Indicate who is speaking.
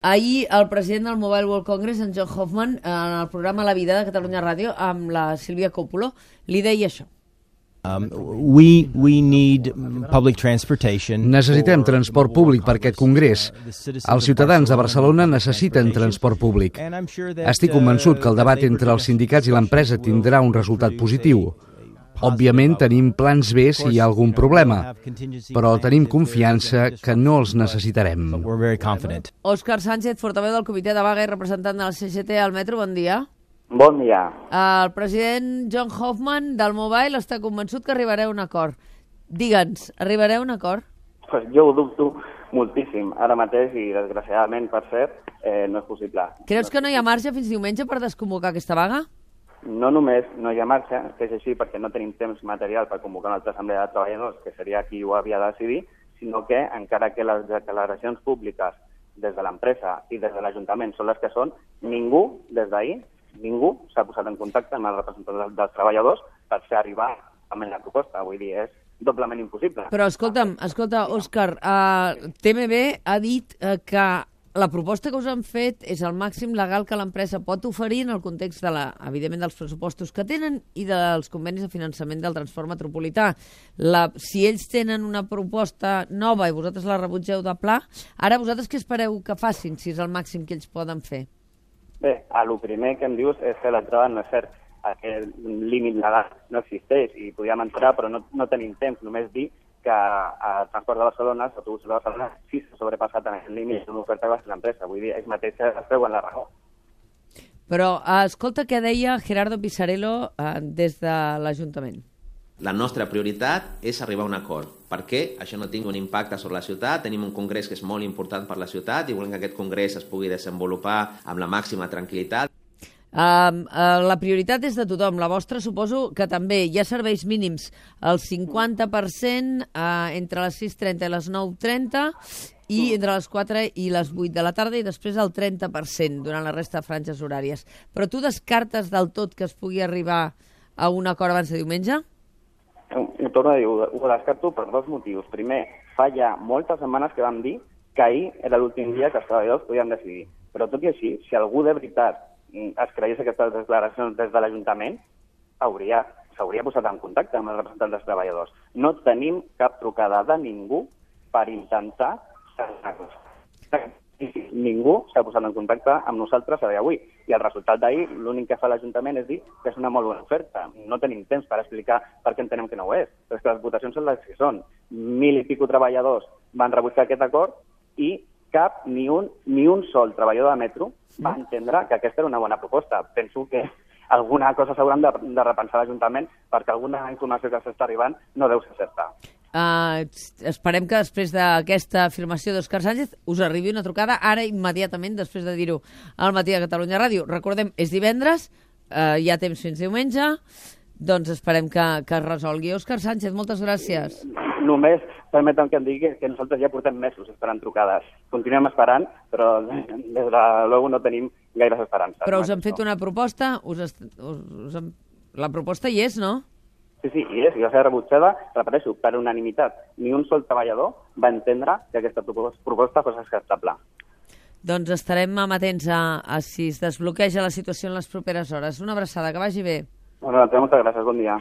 Speaker 1: Ahir el president del Mobile World Congress, en John Hoffman, en el programa La Vida de Catalunya Ràdio, amb la Sílvia Coppola, li deia això.
Speaker 2: We need public transportation.
Speaker 3: Necessitem transport públic per aquest congrés. Els ciutadans de Barcelona necessiten transport públic. Estic convençut que el debat entre els sindicats i l'empresa tindrà un resultat positiu. Òbviament tenim plans B si hi ha algun problema, però tenim confiança que no els necessitarem.
Speaker 1: Òscar Sánchez, portaveu del comitè de vaga i representant de la CGT al metro, bon dia.
Speaker 4: Bon dia.
Speaker 1: El president John Hoffman del Mobile està convençut que arribarà a un acord. Digue'ns, arribarà a un acord?
Speaker 4: Pues jo ho dubto moltíssim. Ara mateix, i desgraciadament, per cert, no és possible.
Speaker 1: Creus que no hi ha marge fins diumenge per desconvocar aquesta vaga?
Speaker 4: No només no hi ha marge, que és així perquè no tenim temps material per convocar una altra assemblea de treballadors, que seria qui ho havia de decidir, sinó que, encara que les declaracions públiques des de l'empresa i des de l'Ajuntament són les que són, ningú, des d'ahir, ningú s'ha posat en contacte amb els representants dels treballadors per fer arribar amb la proposta. Vull dir, és doblement impossible.
Speaker 1: Però escolta, Òscar, TMB ha dit que la proposta que us han fet és el màxim legal que l'empresa pot oferir en el context, evidentment, dels pressupostos que tenen i dels convenis de finançament del transport metropolità. Si ells tenen una proposta nova i vosaltres la rebutgeu de pla, ara vosaltres què espereu que facin, si és el màxim que ells poden fer?
Speaker 4: Bé, el primer que em dius és que l'entrada no és cert. Aquest límit legal no existeix i podíem entrar, però no tenim temps. Només dir que el transport de Barcelona, l'autobús de Barcelona, sí s'ha sobrepassat en el límit d'una oferta que va fer l'empresa. Vull dir, ells mateixos es treuen la raó.
Speaker 1: Però escolta què deia Gerardo Pisarello des de l'Ajuntament.
Speaker 5: La nostra prioritat és arribar a un acord, perquè això no tingui un impacte sobre la ciutat. Tenim un congrés que és molt important per la ciutat i volem que aquest congrés es pugui desenvolupar amb la màxima tranquil·litat.
Speaker 1: La prioritat és de tothom, la vostra suposo que també. Hi ha serveis mínims, el 50% entre les 6:30 i les 9:30 i entre les 4 i les 8 de la tarda i després el 30% durant la resta de franges horàries. Però tu descartes del tot que es pugui arribar a un acord abans de diumenge?
Speaker 4: Ho torno a dir, ho descarto per dos motius. Primer, fa ja moltes setmanes que vam dir que ahir era l'últim dia que els treballadors podien decidir. Però tot i així, si algú de veritat es creies aquestes declaracions des de l'Ajuntament, s'hauria posat en contacte amb els representants dels treballadors. No tenim cap trucada de ningú per intentar salvar-nos. Ningú s'ha posat en contacte amb nosaltres a dia d'avui. I el resultat d'ahir, l'únic que fa l'Ajuntament és dir que és una molt bona oferta. No tenim temps per explicar per què entenem que no ho és. Però és que les votacions són les que són. 1.000 i escaig treballadors van rebutjar aquest acord i ni un sol treballador de metro va entendre que aquesta era una bona proposta. Penso que alguna cosa s'hauran de repensar l'Ajuntament perquè alguna informació que s'està arribant no deu ser certa.
Speaker 1: Esperem que després d'aquesta afirmació d'Òscar Sánchez us arribi una trucada ara immediatament després de dir-ho al matí a Catalunya Ràdio. Recordem, és divendres, hi ha temps fins diumenge, doncs esperem que es resolgui. Òscar Sánchez, moltes gràcies.
Speaker 4: Només permetem que em digui que nosaltres ja portem mesos esperant trucades. Continuem esperant, però des de luego no tenim gaires esperances.
Speaker 1: Però us han fet una proposta? La proposta hi és, no?
Speaker 4: Sí, hi és, i va ser rebutjada, repeteixo, per unanimitat. Ni un sol treballador va entendre que aquesta proposta fos acceptable.
Speaker 1: Doncs estarem amatents a si es desbloqueja la situació en les properes hores. Una abraçada, que vagi bé.
Speaker 4: Bueno, moltes gràcies, bon dia.